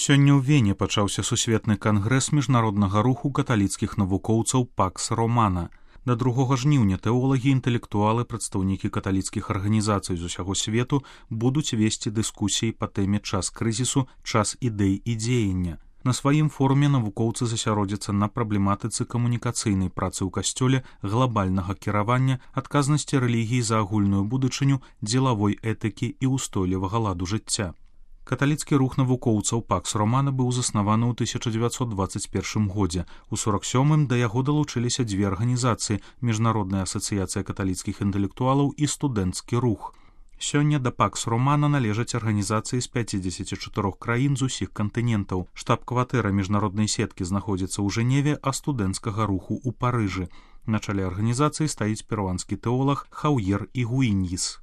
Сёння ў Вене пачаўся сусветны кангрэс міжнароднага руху каталіцкіх навукоўцаў Пакс Романа. Да 2 жніўня тэолагі, інтэлектуалы, прадстаўнікі каталіцкіх арганізацый з усяго свету будуць весці дыскусіі па тэме «Час крызісу, час ідэй і дзеяння». На сваім форуме навукоўцы засяродзяцца на праблематыцы камунікацыйнай працы ў касцёле, глабальнага кіравання, адказнасці рэлігіі за агульную будучыню, дзелавой этыкі і ўстойлівага ладу жыцця. Каталіцкі рух навукоўцаў Пакс Романа быў заснаваны ў 1921 годзе. У 47-м да яго далучыліся дзве арганізацыі – Міжнародная асацыяцыя каталіцкіх інтэлектуалаў і студэнцкі рух. Сёння да Пакс Романа належаць арганізацыі з 54 краін з усіх кантынентаў. Штаб-кватэра міжнароднай сеткі знаходзіцца ў Жэневе, а студэнцкага руху ў Парыжы. На чале арганізацыі стаіць перуанскі тэолаг Хаўер Игуіньіс.